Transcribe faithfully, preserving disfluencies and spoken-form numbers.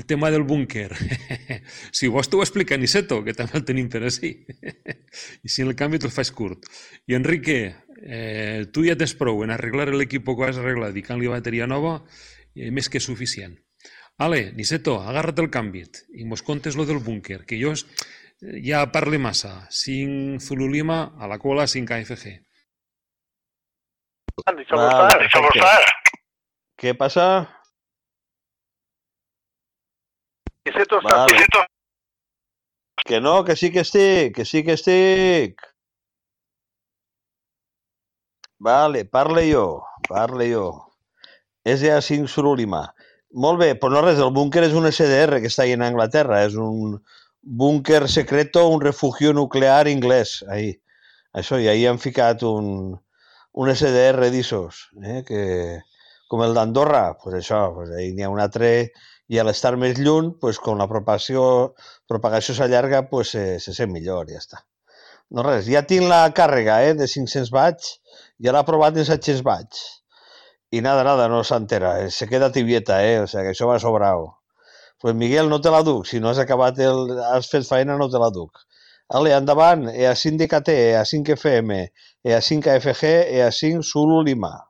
El tema del búnquer. Si vols t'ho explica Niceto, que també el tenim per així. I si en el canvi te'l faig curt. I Enrique, eh, tu ja tens prou en arreglar l'equip que has arreglat i canvi bateria nova, eh, més que suficient. Ale, Niceto, agarra't el canvi i mos contes lo del búnquer, que jo ja parle massa. cinc Zulu Lima a la cola, cinc A F G. Vale, perfecte. ¿Qué pasa? Vale. Que no, que sí que estic, que sí que estic. Vale, parle jo, parle jo. És ja cinc Zulu Lima. Molt bé, però no res, el búnquer és un S D R que està ahí en Anglaterra, és un búnquer secreto, un refugio nuclear inglès, ahí. Això, i ahí han ficat un, un S D R d'Isos, eh, que, com el d'Andorra, pues això, pues ahí n'hi ha un altre, i a l'estar més lluny, pues, com la propagació, propagació s'allarga, pues, se, se sent millor, ja està. No res, ja tinc la càrrega, eh, de cinc-cents watts, ja l'ha provat en set-cents watts. Y nada, nada, no se entera, se queda tibieta, eh? O sea, que això va sobrado. Pues Miguel, no te la duc, si no has acabat el... has fet feina, no te la duc. Ale, endavant, E A cinc D K T, E A cinc F M, E A cinc A F G, E A cinc Zulu Lima.